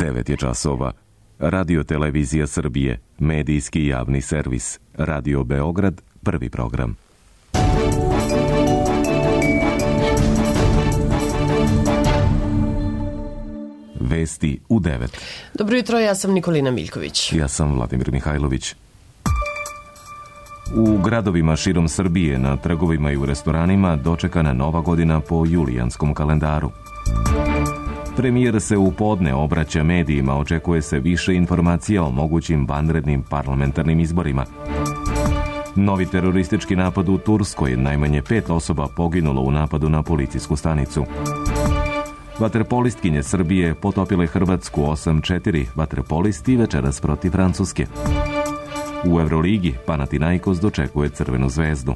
9 je časova. Radio Televizija Srbije, medijski javni servis. Radio Beograd, prvi program. Vesti u 9. Dobro jutro, ja sam Nikolina Miljković. Ja sam Vladimir Mihajlović. U gradovima širom Srbije, na trgovima i u restoranima dočekana Nova godina po julijanskom kalendaru. Premijer se u podne obraća medijima, očekuje se više informacija o mogućim vanrednim parlamentarnim izborima. Novi teroristički napad u Turskoj, najmanje 5 osoba poginulo u napadu na policijsku stanicu. Vaterpolistkinje Srbije potopile Hrvatsku 8-4, vaterpolisti večeras protiv Francuske. U Euroligi Panathinaikos dočekuje Crvenu zvezdu.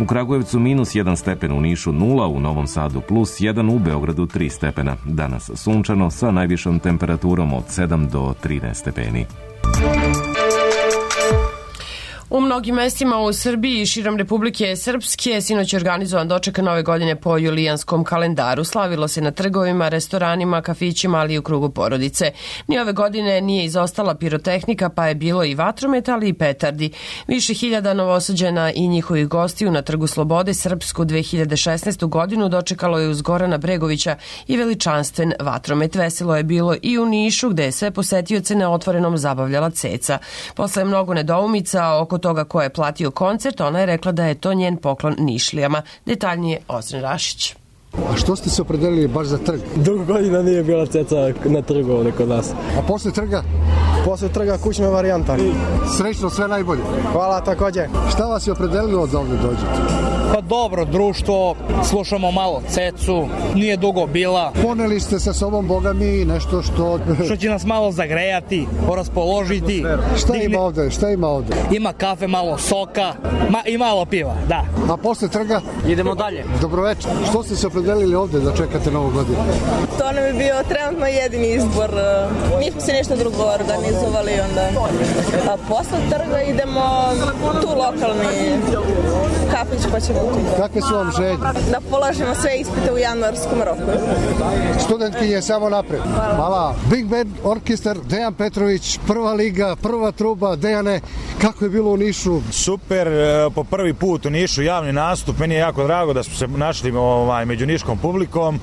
U Kragujevcu -1 stepen, u Nišu 0, u Novom Sadu +1, u Beogradu 3 stepena. Danas sunčano sa najvišom temperaturom od 7 do 13 stepeni. U mnogim mestima u Srbiji i širom Republike Srpske sinoć je organizovan doček Nove godine po julijanskom kalendaru. Slavilo se na trgovima, restoranima, kafićima, ali i u krugu porodice. Ni ove godine nije izostala pirotehnika, pa je bilo i vatrometa, ali i petardi. Više hiljada Novosađana i njihovih gostiju na Trgu Slobode srpsku 2016. godinu dočekalo je uz Gorana Bregovića i veličanstven vatromet. Veselo je bilo i u Nišu, gde je sve posetioce na otvorenom zabavljala ceca. Posle mnogo nedoumica oko toga ko je platio koncert, ona je rekla da je to njen poklon Nišlijama. Detaljnije Ozren Rašić. A što ste se opredelili baš za trg? Dugo godina nije bila ceca na trgu ovdje kod nas. A posle trga? Posle trga kućna varijanta. Srećno, sve najbolje. Hvala također. Šta vas je opredelilo da ovdje dođete? Pa dobro, društvo, slušamo malo cecu, nije dugo bila. Poneli ste sa sobom, boga mi, nešto što će nas malo zagrejati, raspoložiti. Šta ima ovdje? Ima kafe, malo soka i malo piva, da. A posle trga? Idemo dalje. Dobroveče. Što ste se opredelili ovdje da čekate Novu godinu? To nam je bio trenutno jedini izbor. Nismo se nešto drugo organizovali onda. A posle trga idemo tu lokalni kafić pa ćemo tu. Kakve su vam želje? Da polažemo sve ispite u januarskom roku. Studentkinje samo napred. Hvala. Big Band orkestar, Dejan Petrović, prva liga, prva truba. Dejane, kako je bilo u Nišu? Super, po prvi put u Nišu javni nastup. Meni je jako drago da smo se našli među niškom publikom.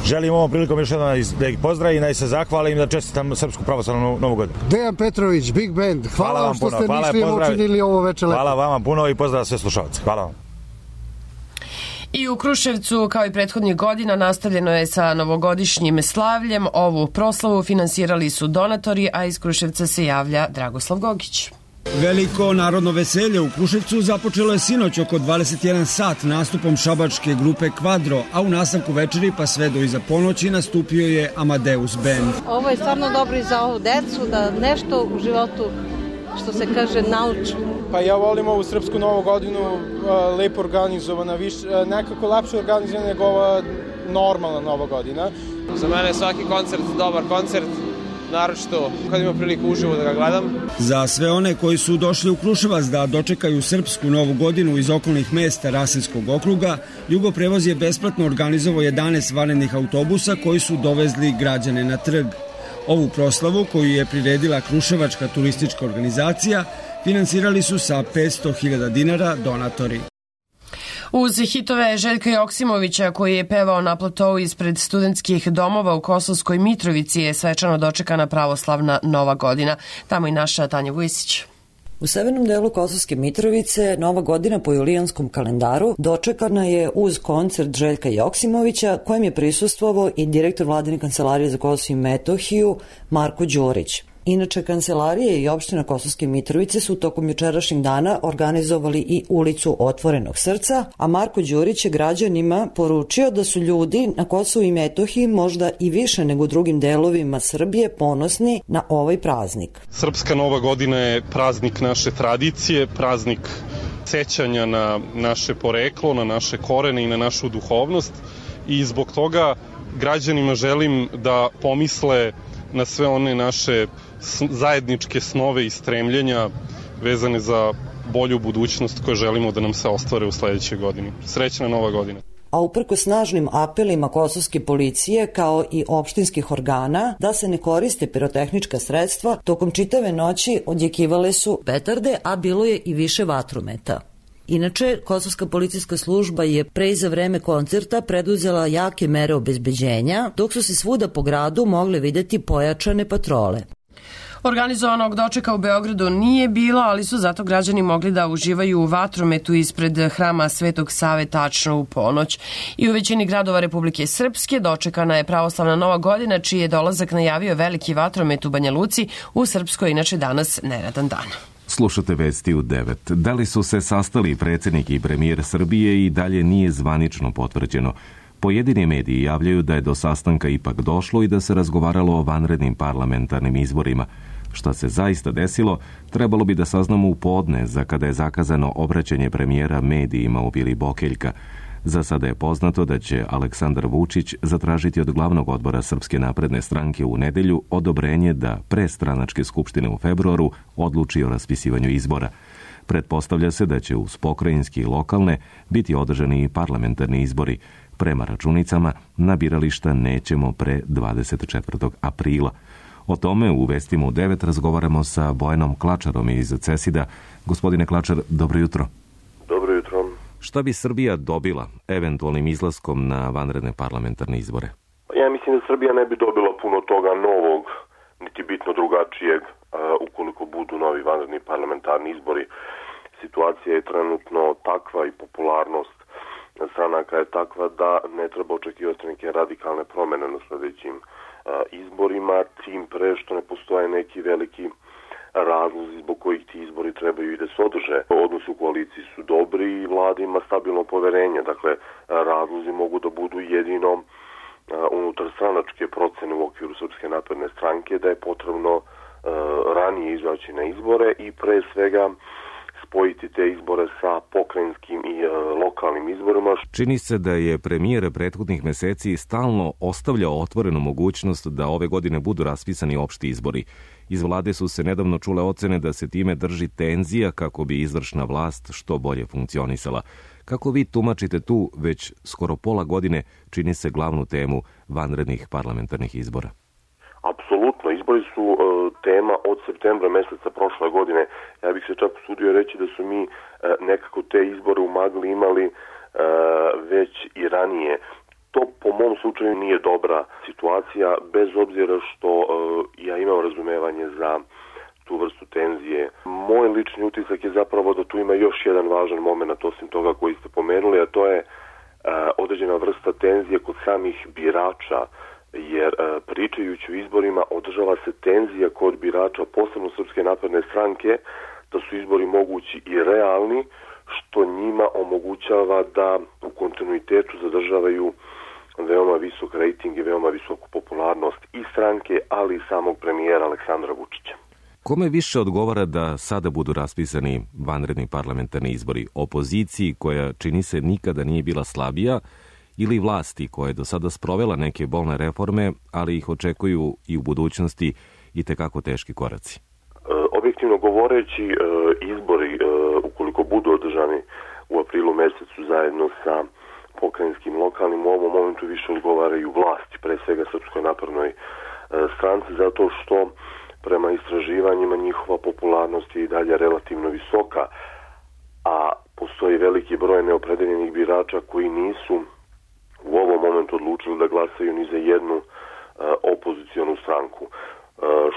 Želim ovom prilikom još jednom da ih pozdravim, da ih se zahvalim, da čestitam Srpsku pravoslavnu Novu godinu. Dejan Petrović, Big Band, hvala vam što ste Nišlijom učinili ovo veče lepo. Hvala vama puno i pozdrav sve slušalce. Hvala vam. I u Kruševcu, kao i prethodnih godina, nastavljeno je sa novogodišnjim slavljem. Ovu proslavu finansirali su donatori, a iz Kruševca se javlja Dragoslav Gogić. Veliko narodno veselje u Kruševcu započelo je sinoć oko 21 sat nastupom šabačke grupe Kvadro, a u nastavku večeri pa sve do iza ponoći nastupio je Amadeus Band. Ovo je stvarno dobro i za ovu decu, da nešto u životu, što se kaže, nauču. Pa ja volim ovu Srpsku Novu godinu, lepo organizovana, nekako lepše organizovana nego ova normalna Nova godina. Za mene je svaki koncert dobar koncert, naročito kad ima priliku uživo da ga gledam. Za sve one koji su došli u Kruševac da dočekaju Srpsku Novu godinu iz okolnih mesta Rasinskog okruga, Jugoprevoz je besplatno organizovao 11 vanrednih autobusa koji su dovezli građane na trg. Ovu proslavu, koju je priredila Kruševačka turistička organizacija, finansirali su sa 500.000 dinara donatori. Uz hitove Željka Joksimovića, koji je pevao na platovu ispred studentskih domova u Kosovskoj Mitrovici, je svečano dočekana pravoslavna Nova godina. Tamo i naša Tanja Vujsić. U severnom delu Kosovske Mitrovice Nova godina po julijanskom kalendaru dočekana je uz koncert Željka Joksimovića, kojem je prisustvovao i direktor Vladine kancelarije za Kosovo i Metohiju Marko Đurić. Inače, kancelarije i opština Kosovske Mitrovice su tokom jučerašnjeg dana organizovali i ulicu Otvorenog srca, a Marko Đurić je građanima poručio da su ljudi na Kosovu i Metohiji možda i više nego u drugim delovima Srbije ponosni na ovaj praznik. Srpska Nova godina je praznik naše tradicije, praznik sećanja na naše poreklo, na naše korene i na našu duhovnost i zbog toga građanima želim da pomisle na sve one naše zajedničke snove i stremljenja vezane za bolju budućnost koje želimo da nam se ostvare u sledećoj godini. Srećna Nova godina. a uprko snažnim apelima kosovske policije kao i opštinskih organa da se ne koriste pirotehnička sredstva, tokom čitave noći odjekivale su petarde, a bilo je i više vatrometa. Inače, kosovska policijska služba je pre i za vreme koncerta preduzela jake mere obezbeđenja, dok su se svuda po gradu mogle videti pojačane patrole. Organizovanog dočeka u Beogradu nije bilo, ali su zato građani mogli da uživaju u vatrometu ispred hrama Svetog Save tačno u ponoć. I u većini gradova Republike Srpske dočekana je pravoslavna Nova godina, čiji je dolazak najavio veliki vatromet u Banja Luci, u Srpskoj inače danas neradan dan. Slušate vesti u 9. Da li su se sastali predsjednik i premijer Srbije i dalje nije zvanično potvrđeno. Pojedini mediji javljaju da je do sastanka ipak došlo i da se razgovaralo o vanrednim parlamentarnim izborima. Šta se zaista desilo, trebalo bi da saznamo u podne, za kada je zakazano obraćanje premijera medijima u Vili Bokeljka. Za sada je poznato da će Aleksandar Vučić zatražiti od glavnog odbora Srpske napredne stranke u nedelju odobrenje da pre stranačke skupštine u februaru odluči o raspisivanju izbora. Pretpostavlja se da će uz pokrajinski i lokalne biti održani i parlamentarni izbori. Prema računicama, na birališta nećemo pre 24. aprila. O tome u vestima u 9 razgovaramo sa Bojanom Klačarom iz CESID-a. Gospodine Klačar, dobro jutro. Dobro jutro. Šta bi Srbija dobila eventualnim izlaskom na vanredne parlamentarne izbore? Ja mislim da Srbija ne bi dobila puno toga novog, niti bitno drugačijeg, ukoliko budu novi vanredni parlamentarni izbori. Situacija je trenutno takva i popularnost stranaka je takva da ne treba očekivati neke radikalne promene na sledećim izborima, tim pre što ne postoje neki veliki razlozi zbog kojih ti izbori trebaju i da se održe. Odnosi u koaliciji su dobri i vlada ima stabilno poverenje. Dakle, razlozi mogu da budu jedino unutar stranačke procene u okviru Srpske napredne stranke da je potrebno ranije izaći na izbore i pre svega spojiti te izbore sa pokrajinskim i lokalnim izborima. Čini se da je premijer prethodnih meseci stalno ostavljao otvorenu mogućnost da ove godine budu raspisani opšti izbori. Iz vlade su se nedavno čule ocene da se time drži tenzija kako bi izvršna vlast što bolje funkcionisala. Kako vi tumačite tu već skoro pola godine čini se glavnu temu vanrednih parlamentarnih izbora? Apsolutno, izbori su tema od septembra meseca prošle godine. Ja bih se čak usudio reći da su mi nekako te izbore u magli imali već i ranije. To po mom slučaju nije dobra situacija, bez obzira što ja imam razumevanje za tu vrstu tenzije. Moj lični utisak je zapravo da tu ima još jedan važan moment, osim toga koji ste pomenuli, a to je određena vrsta tenzije kod samih birača, jer pričajući o izborima održava se tenzija kod birača, posebno Srpske napredne stranke, da su izbori mogući i realni, što njima omogućava da u kontinuitetu zadržavaju veoma visok rejting i veoma visoku popularnost i stranke, ali i samog premijera Aleksandra Vučića. Kome više odgovara da sada budu raspisani vanredni parlamentarni izbori? Opoziciji koja čini se nikada nije bila slabija ili vlasti koja je do sada sprovela neke bolne reforme, ali ih očekuju i u budućnosti i tekako teški koraci? Objektivno govoreći, izbori, ukoliko budu održani u aprilu mesecu zajedno sa pokrajinskim lokalnim, u ovom momentu više odgovaraju vlasti, pre svega Srpskoj naprednoj stranci, zato što prema istraživanjima njihova popularnost je i dalje relativno visoka, a postoji veliki broj neopredeljenih birača koji nisu u ovom momentu odlučili da glasaju ni za jednu opozicionu stranku.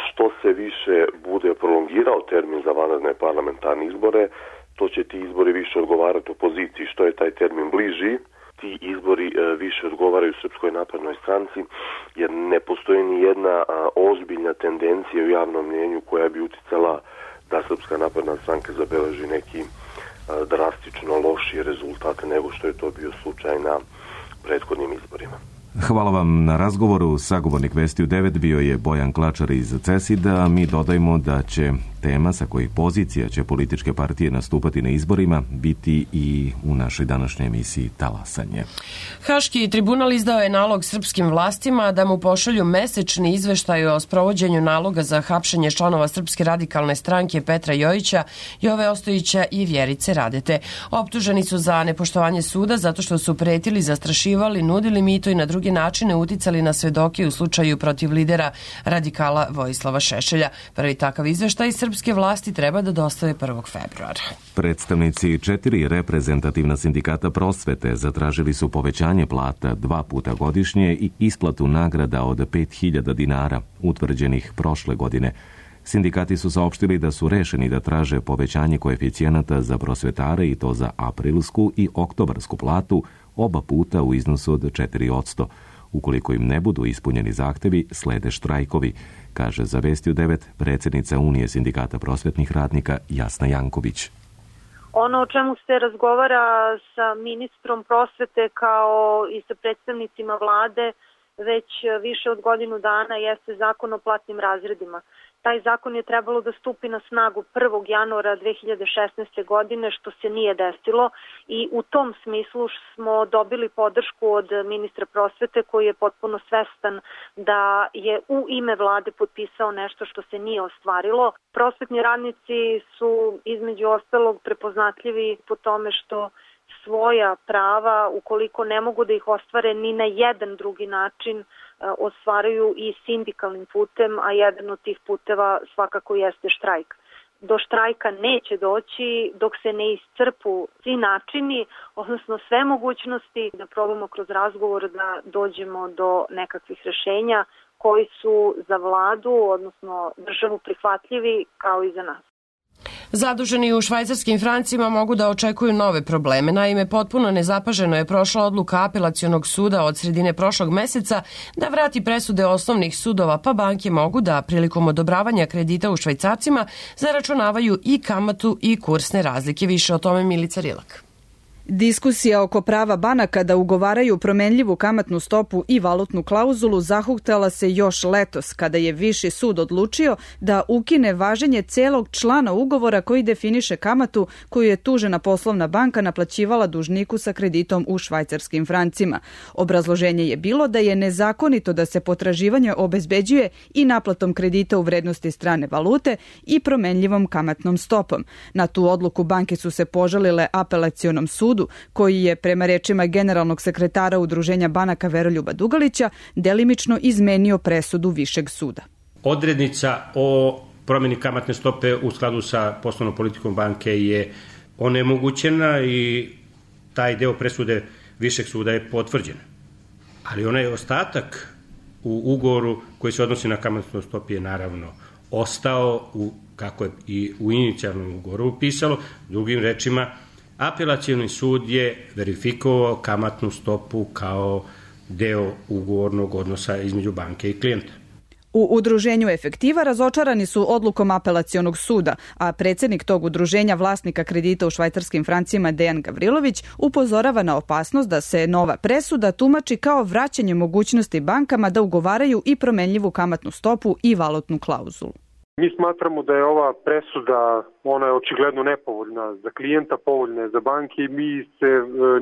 Što se više bude prolongirao termin za vanredne parlamentarne izbore, to će ti izbori više odgovarati opoziciji. Što je taj termin bliži, ti izbori više odgovaraju Srpskoj naprednoj stranci, jer ne postoji ni jedna ozbiljna tendencija u javnom mnjenju koja bi uticala da Srpska napredna stranka zabeleži neki drastično lošiji rezultat nego što je to bio slučaj na prethodnim izborima. Hvala vam na razgovoru. Sagovornik Vesti u 9 bio je Bojan Klačar iz CESID-a. Mi dodajmo da će Tema sa kojih pozicija će političke partije nastupati na izborima biti i u našoj današnjoj emisiji Talasanje. Haški tribunal izdao je nalog srpskim vlastima da mu pošalju mesečni izveštaj o sprovođenju naloga za hapšenje članova Srpske radikalne stranke Petra Jojića, Jove Ostojića i Vjerice Radete. Optuženi su za nepoštovanje suda zato što su pretili, zastrašivali, nudili mito i na druge načine uticali na svedoke u slučaju protiv lidera radikala Vojislava Šešelja. Prvi takav izveštaj srpske vlasti treba da dostave 1. februara. Predstavnici 4 reprezentativna sindikata prosvete zatražili su povećanje plata 2 puta godišnje i isplatu nagrada od 5.000 dinara, utvrđenih prošle godine. Sindikati su saopštili da su rešeni da traže povećanje koeficijenata za prosvetare i to za aprilsku i oktobarsku platu oba puta u iznosu od 4%. Ukoliko im ne budu ispunjeni zahtevi, slede štrajkovi, kaže za Vesti u 9 predsjednica Unije sindikata prosvetnih radnika Jasna Janković. Ono o čemu se razgovara sa ministrom prosvete kao i sa predstavnicima vlade već više od godinu dana jeste zakon o platnim razredima. Taj zakon je trebalo da stupi na snagu 1. januara 2016. godine, što se nije desilo i u tom smislu smo dobili podršku od ministra prosvete koji je potpuno svestan da je u ime vlade potpisao nešto što se nije ostvarilo. Prosvetni radnici su između ostalog prepoznatljivi po tome što svoja prava, ukoliko ne mogu da ih ostvare ni na jedan drugi način, ostvaruju i sindikalnim putem, a jedan od tih puteva svakako jeste štrajk. Do štrajka neće doći dok se ne iscrpu svi načini, odnosno sve mogućnosti da probamo kroz razgovor da dođemo do nekakvih rešenja koji su za vladu, odnosno državu prihvatljivi kao i za nas. Zaduženi u švajcarskim francima mogu da očekuju nove probleme. Naime, potpuno nezapaženo je prošla odluka apelacionog suda od sredine prošlog meseca da vrati presude osnovnih sudova, pa banke mogu da prilikom odobravanja kredita u švajcarcima zaračunavaju i kamatu i kursne razlike. Više o tome Milica Rilak. Diskusija oko prava banaka da ugovaraju promenljivu kamatnu stopu i valutnu klauzulu zahuktala se još letos, kada je Viši sud odlučio da ukine važenje celog člana ugovora koji definiše kamatu koju je tužena poslovna banka naplaćivala dužniku sa kreditom u švajcarskim francima. Obrazloženje je bilo da je nezakonito da se potraživanje obezbeđuje i naplatom kredita u vrednosti strane valute i promenljivom kamatnom stopom. Na tu odluku banke su se požalile apelacionom sudu, koji je prema rečima generalnog sekretara Udruženja banaka Veroljuba Dugalića delimično izmenio presudu Višeg suda. Odrednica o promjeni kamatne stope u skladu sa poslovnom politikom banke je onemogućena i taj deo presude Višeg suda je potvrđen. Ali onaj ostatak u ugovoru koji se odnosi na kamatnu stopu je naravno ostao, kako je i u inicijalnom ugovoru pisalo, drugim rečima, apelacioni sud je verifikovao kamatnu stopu kao deo ugovornog odnosa između banke i klijenta. U udruženju Efektiva razočarani su odlukom apelacionog suda, a predsjednik tog udruženja vlasnika kredita u švajcarskim francima Dejan Gavrilović upozorava na opasnost da se nova presuda tumači kao vraćanje mogućnosti bankama da ugovaraju i promenljivu kamatnu stopu i valutnu klauzulu. Mi smatramo da je ova presuda, ona je očigledno nepovoljna za klijenta, povoljna je za banke i mi se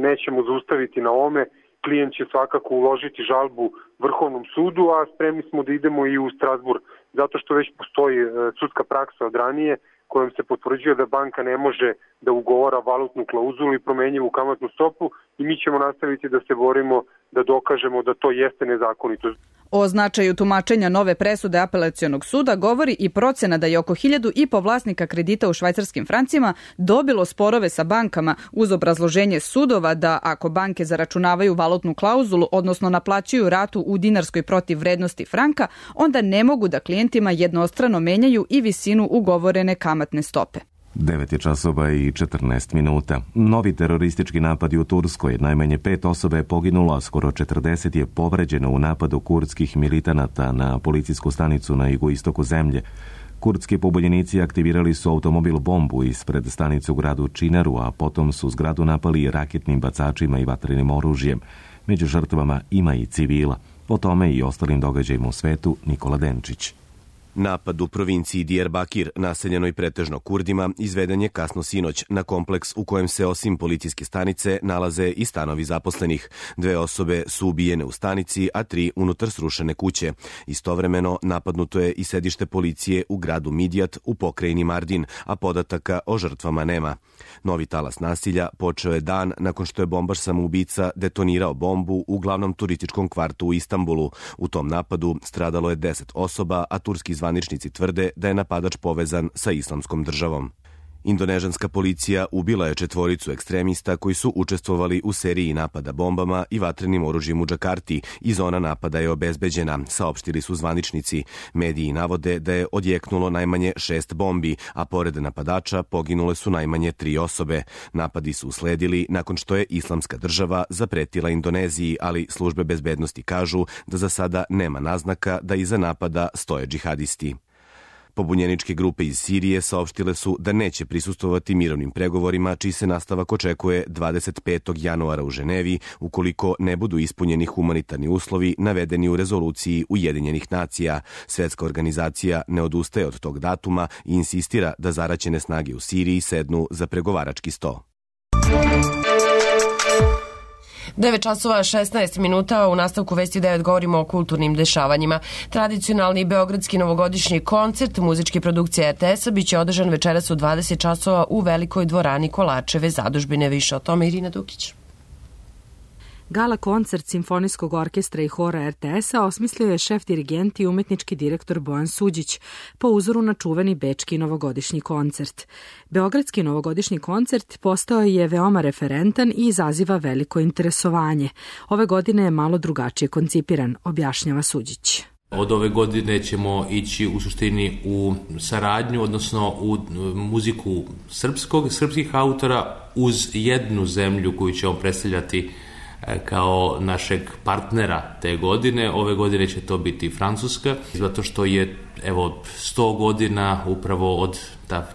nećemo zaustaviti na ome. Klijent će svakako uložiti žalbu Vrhovnom sudu, a spremni smo da idemo i u Strasburg, zato što već postoji sudska praksa od ranije kojom se potvrđuje da banka ne može da ugovara valutnu klauzulu i promenljivu kamatnu stopu i mi ćemo nastaviti da se borimo da dokažemo da to jeste nezakonito. O značaju tumačenja nove presude apelacionog suda govori i procena da je oko 1.500 vlasnika kredita u švajcarskim francima dobilo sporove sa bankama uz obrazloženje sudova da ako banke zaračunavaju valutnu klauzulu, odnosno naplaćuju ratu u dinarskoj protiv vrednosti franka, onda ne mogu da klijentima jednostrano menjaju i visinu ugovorene kamatne stope. 9:14. Novi teroristički napadi u Turskoj. Najmanje 5 osoba je poginulo, a skoro 40 je povređeno u napadu kurdskih militanata na policijsku stanicu na jugoistoku zemlje. Kurdski pobunjenici aktivirali su automobil bombu ispred stanice u gradu Činaru, a potom su zgradu napali raketnim bacačima i vatrenim oružjem. Među žrtvama ima i civila. O tome i ostalim događajima u svetu Nikola Denčić. Napad u provinciji Diyarbakir, naseljenoj pretežno Kurdima, izveden je kasno sinoć na kompleks u kojem se osim policijske stanice nalaze i stanovi zaposlenih. 2 osobe su ubijene u stanici, a 3 unutar srušene kuće. Istovremeno napadnuto je i sedište policije u gradu Midjat u pokrajini Mardin, a podataka o žrtvama nema. Novi talas nasilja počeo je dan nakon što je bombaš samoubica detonirao bombu u glavnom turističkom kvartu u Istanbulu. U tom napadu stradalo je 10 osoba, a turski zvaničnici tvrde da je napadač povezan sa Islamskom državom. Indonežanska policija ubila je 4 ekstremista koji su učestvovali u seriji napada bombama i vatrenim oružjem u Džakarti i zona napada je obezbeđena, saopštili su zvaničnici. Mediji navode da je odjeknulo najmanje 6 bombi, a pored napadača poginule su najmanje 3 osobe. Napadi su usledili nakon što je Islamska država zapretila Indoneziji, ali službe bezbednosti kažu da za sada nema naznaka da iza napada stoje džihadisti. Pobunjeničke grupe iz Sirije saopštile su da neće prisustvovati mirovnim pregovorima, čiji se nastavak očekuje 25. januara u Ženevi, ukoliko ne budu ispunjeni humanitarni uslovi navedeni u rezoluciji Ujedinjenih nacija. Svetska organizacija ne odustaje od tog datuma i insistira da zaraćene snage u Siriji sednu za pregovarački sto. 9 časova 16 minuta, u nastavku Vesti 9 govorimo o kulturnim dešavanjima. Tradicionalni beogradski novogodišnji koncert muzičke produkcije RTS-a biće održan večeras u 20 časova u velikoj dvorani Kolačeve zadužbine. Više o tome Irina Dukić. Gala koncert Simfonijskog orkestra i hora RTS-a osmislio je šef dirigent i umetnički direktor Bojan Suđić po uzoru na čuveni bečki novogodišnji koncert. Beogradski novogodišnji koncert postao je veoma referentan i izaziva veliko interesovanje. Ove godine je malo drugačije koncipiran, objašnjava Suđić. Od ove godine ćemo ići u suštini u saradnju, odnosno u muziku srpskih autora uz jednu zemlju koju ćemo predstavljati kao našeg partnera te godine. Ove godine će to biti Francuska, zato što je 100 godina upravo od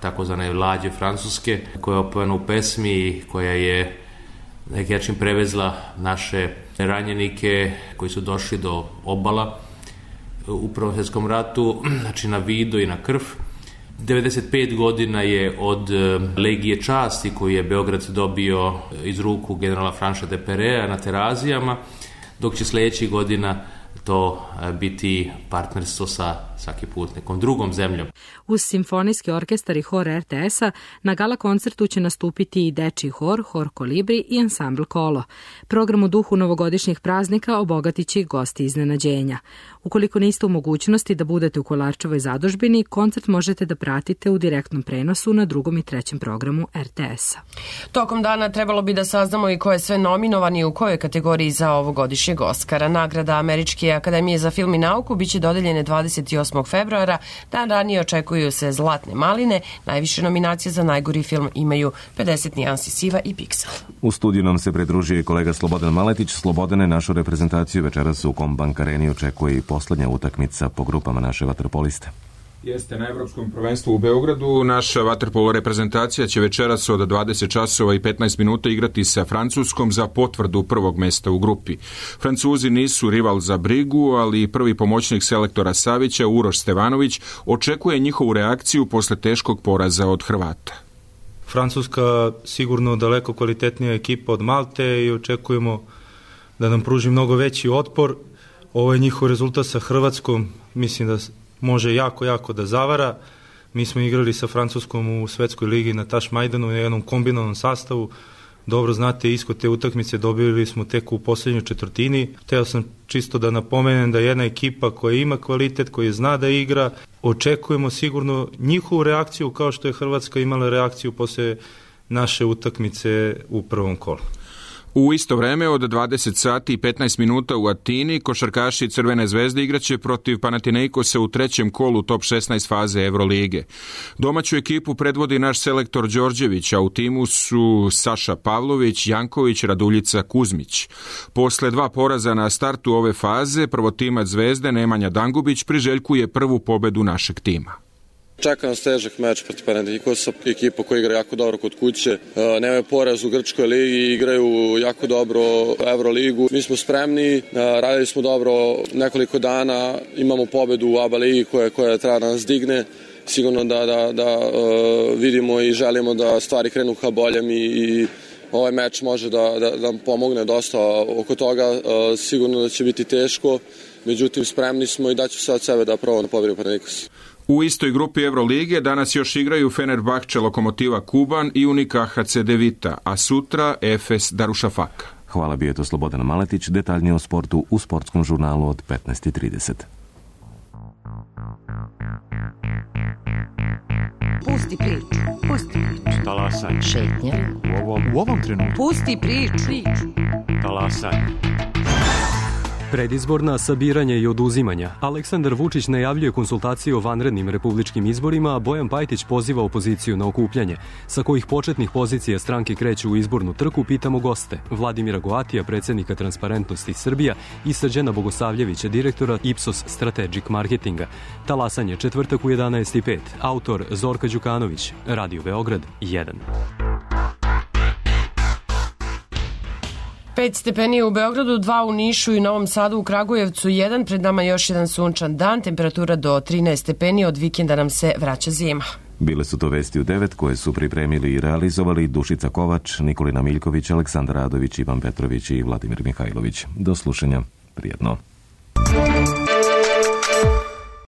takozvane lađe Francuske, koja je opevana u pesmi, koja je na neki način prevezla naše ranjenike koji su došli do obala u Prvom svjetskom ratu, znači na vido i na krv. 95 godina je od Legije časti koju je Beograd dobio iz ruku generala Franša de Perea na Terazijama, dok će sljedećih godina to biti partnerstvo sa svaki put nekom drugom zemljom. Uz simfonijski orkestar i hor RTS-a na gala koncertu će nastupiti i dečiji hor, hor Kolibri i ansambl Kolo. Program u duhu novogodišnjih praznika obogatit će i gosti iznenađenja. Ukoliko niste u mogućnosti da budete u Kolarčevoj zadužbini, koncert možete da pratite u direktnom prenosu na 2. i 3. programu RTS-a. Tokom dana trebalo bi da saznamo i ko je sve nominovan i u kojoj kategoriji za ovogodišnjeg Oskara. Nagrada Američke akademije za film i nauku biće dodeljene 28. februara. Dan ranije očekuju se Zlatne maline. Najviše nominacije za najgori film imaju 50 nijansi siva i Pixel. U studiju nam se pridružio i kolega Slobodan Maletić. Slobodane, našu reprezentaciju večeras u Kombank Areni očekuje i poslednja utakmica po grupama naše vaterpoliste. Jeste, na Evropskom prvenstvu u Beogradu. Naša vaterpolo reprezentacija će večeras od 20 časova i 15 minuta igrati sa Francuskom za potvrdu prvog mesta u grupi. Francuzi nisu rival za brigu, ali prvi pomoćnik selektora Savića, Uroš Stevanović, očekuje njihovu reakciju posle teškog poraza od Hrvata. Francuska sigurno daleko kvalitetnija ekipa od Malte i očekujemo da nam pruži mnogo veći otpor. Ovo je njihov rezultat sa Hrvatskom, mislim da može jako da zavara. Mi smo igrali sa Francuskom u Svetskoj ligi na Tašmajdanu na jednom kombinovanom sastavu. Dobro znate, ishod te utakmice dobili smo tek u poslednjoj četvrtini. Hteo sam čisto da napomenem da jedna ekipa koja ima kvalitet, koja zna da igra, očekujemo sigurno njihovu reakciju kao što je Hrvatska imala reakciju posle naše utakmice u prvom kolu. U isto vreme od 20 sati i 15 minuta u Atini košarkaši Crvene zvezde igraće protiv Panathinaikosa u 3. kolu top 16 faze Evrolige. Domaću ekipu predvodi naš selektor Đorđević, a u timu su Saša Pavlović, Janković, Raduljica, Kuzmić. Posle 2 poraza na startu ove faze, prvotimac Zvezde Nemanja Dangubić priželjkuje prvu pobedu našeg tima. Čeka nas težak meč protiv Panathinaikosa, ekipa koja igra jako dobro kod kuće. Nemaju poraz u Grčkoj ligi, igraju jako dobro Euroligu. Mi smo spremni, radili smo dobro nekoliko dana, imamo pobedu u ABA ligi koja treba da nas digne. Sigurno da vidimo i želimo da stvari krenu ka boljem i ovaj meč može da nam pomogne dosta oko toga. Sigurno da će biti teško, međutim spremni smo i daću sve od sebe da probamo da pobedimo Panathinaikos. U istoj grupi Evrolige danas još igraju Fenerbahče Lokomotiva Kuban i Unika HC Devita, a sutra Efes Darušafaka. Hvala, bio je to Slobodan Maletić, detaljnije o sportu u sportskom žurnalu od 15:30. Pusti priču. Talasaj. Šetnja. U ovom trenutku. Pusti priču. Talasaj. Predizborna sabiranja i oduzimanja. Aleksandar Vučić najavljuje konsultacije o vanrednim republičkim izborima, a Bojan Pajtić poziva opoziciju na okupljanje. Sa kojih početnih pozicija stranke kreću u izbornu trku, pitamo goste. Vladimira Goatija, predsjednika Transparentnosti Srbija, i Srđana Bogosavljevića, direktora Ipsos Strategic Marketinga. Talasanje, četvrtak u 11:05. Autor Zorka Đukanović. Radio Beograd 1. 5 stepeni u Beogradu, 2 u Nišu i Novom Sadu, u Kragujevcu 1, pred nama još jedan sunčan dan, temperatura do 13 stepeni, od vikenda nam se vraća zima. Bile su to vesti u 9 koje su pripremili i realizovali Dušica Kovač, Nikolina Miljković, Aleksandar Radović, Ivan Petrović i Vladimir Mihajlović. Do slušanja, prijetno.